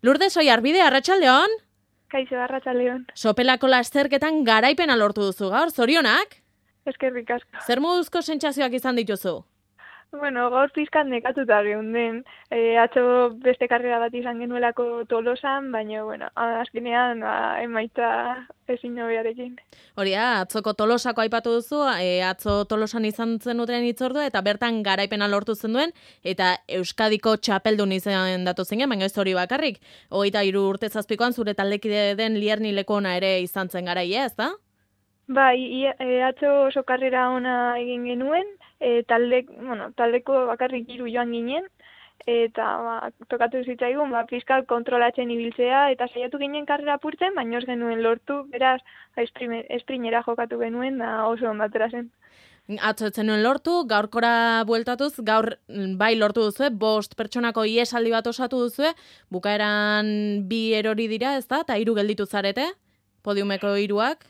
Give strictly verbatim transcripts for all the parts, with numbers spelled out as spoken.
Lourdes Oiarbide, arratsaldeon. Kaixo, arratsaldeon. Sopelako lasterketan garaipena lortu duzu gaur, zorionak? Eskerrik asko. Zer moduzko sentsazioak izan dituzu? Bueno, gaur pizkat nekatuta geunden. E, atzo beste karrera bat izan genuelako Tolosan, baina, bueno, azkenean ba, emaitza ezin hobearekin. Hori da, atzoko Tolosako aipatu duzu, e, atzo Tolosan izan zenuten hitzordua eta bertan garaipena lortu zenuen eta Euskadiko txapeldun izan datu zinen, baina ez hori bakarrik. Hogeita hiru urte zazpikoan zure taldekide den Lierni Lekona ere izan zen garaia, ez da? Bai, ia, e, atzo oso karrera ona egin genuen, e, talde, bueno, taldeko bakarrik hiru joan ginen, eta ba, tokatu zitzaigun, ba, fiskal kontrolatzen ibiltzea, eta saiatu ginen karrera apurtzen, baina ez genuen lortu, beraz, esprinera jokatu genuen, da oso ondatera zen. Atzo ez zenuen lortu, gaurkora bueltatuz, gaur bai lortu duzue, bost pertsonako iesaldi bat osatu duzue, bukaeran bi erori dira, ez da, eta hiru gelditu zarete, podiumeko hiruak.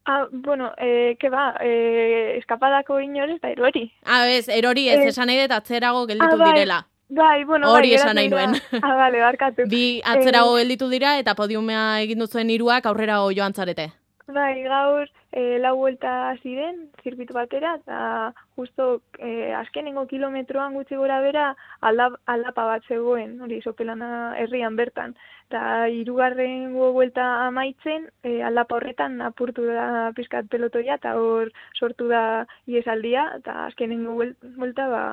Ah, bueno, eh, que ba, eh, eskapadako inores da erori. Ah, ez, erori ez, eh, esan nahi dut atzerago gelditu ah, bai, direla. Bai, bueno, hori bai, esan nahi nuen. Ah, bale, barkatu. Bi atzerago eh, gelditu dira eta podiumea egin duzuen hiruak aurrera joan zarete. Bai, gaur eh, lau vuelta ziren, zirbitu batera, eta justo eh, azkenengo kilometroan gutxi gora bera aldap, aldapa bat zegoen, hori Sopelana herrian bertan. Eta hirugarrengo vuelta amaitzen, eh, aldapa horretan apurtu da pizkat pelotoia, eta hor sortu da iesaldia, eta azkenengo vuelta ba,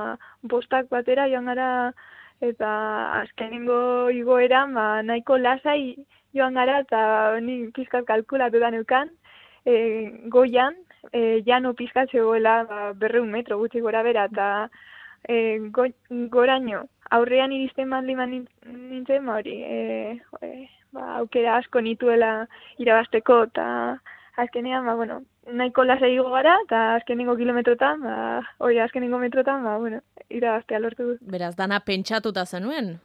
bostak batera joan gara, eta azkenengo igoeran ba, nahiko lasai joan gara, eta ni pizkat kalkulatu da neukan, e, goian, e, jano pizkat zegoela ba, berreun metro gutxi gora bera, eta e, go, goraino, aurrean iristen mandiman nintzen, ba, hori, e, e, ba, aukera asko nituela irabasteko, eta azkenean, ba, bueno, nahiko lasai igo gara, eta azkenengo kilometrotan, ba, hori azkenengo metrotan, ba, bueno, irabastea lortu dut. Beraz, dana pentsatuta zenuen?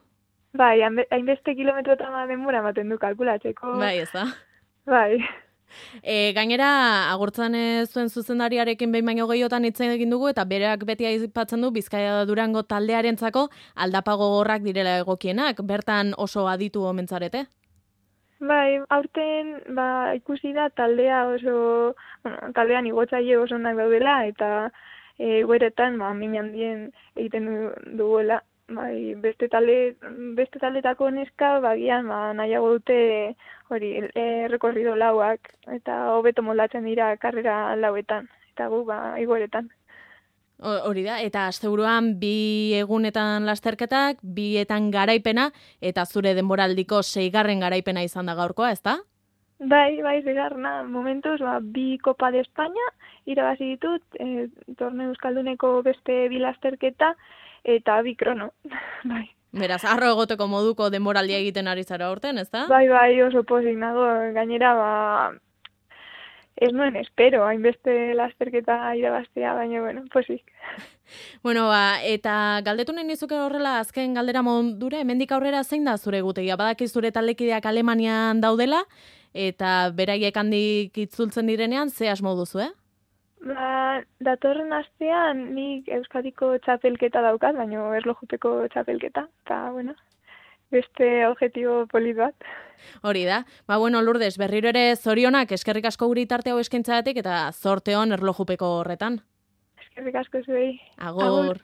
Bai, hainbeste kilometrotan denbora ematen du kalkulatzeko. Bai, ez da? Bai. E, gainera, agurtzan zuen zuzendariarekin behin baino gehiotan hitz egin dugu, eta bereak beti aipatzen du Bizkaia Durango taldearentzako aldapa gogorrak direla egokienak, bertan oso aditu omentzarete? Bai, aurten ba, ikusi da taldea oso, bueno, taldean igotzaile oso onak daudela, eta e, gueretan ba, min handien egiten duguela. Bai, beste talde beste taldetako neska bagian ba nahiago dute hori errekorrido lauak eta hobeto moldatzen dira karrera lauetan eta gu ba igoeretan. Hori da, eta asteburuan bi egunetan lasterketak, bietan garaipena eta zure denboraldiko seigarren garaipena izan da gaurkoa, ezta? Bai, bai, seigarrena momentuz ba bi Copa de España irabazi ditut, e, torneo euskalduneko beste bi lasterketa eta bi krono, bai. Beraz, arro egoteko moduko denboraldia egiten ari zara aurten, ez da? Bai, bai, oso pozik nago, gainera, ba, ez nuen espero, hainbeste lasterketa irabaztea, baina, bueno, pozik. Bueno, ba, eta galdetu nahi nizuke horrela, azken galdera mondura, hemendik aurrera zein da zure gutegia? Badaki zure taldekideak Alemanian daudela, eta beraiek handik itzultzen direnean, ze asmo duzu, eh? Ba, datorren astean nik Euskadiko txapelketa daukat, baina erlojupeko txapelketa, eta, bueno, beste objetibo polit bat. Hori da. Ba, bueno, Lourdes, berriro ere zorionak eskerrik asko guri tarte hau eskaintzagatik eta zorte on erlojupeko horretan. Eskerrik asko zuei. Agur. Agur.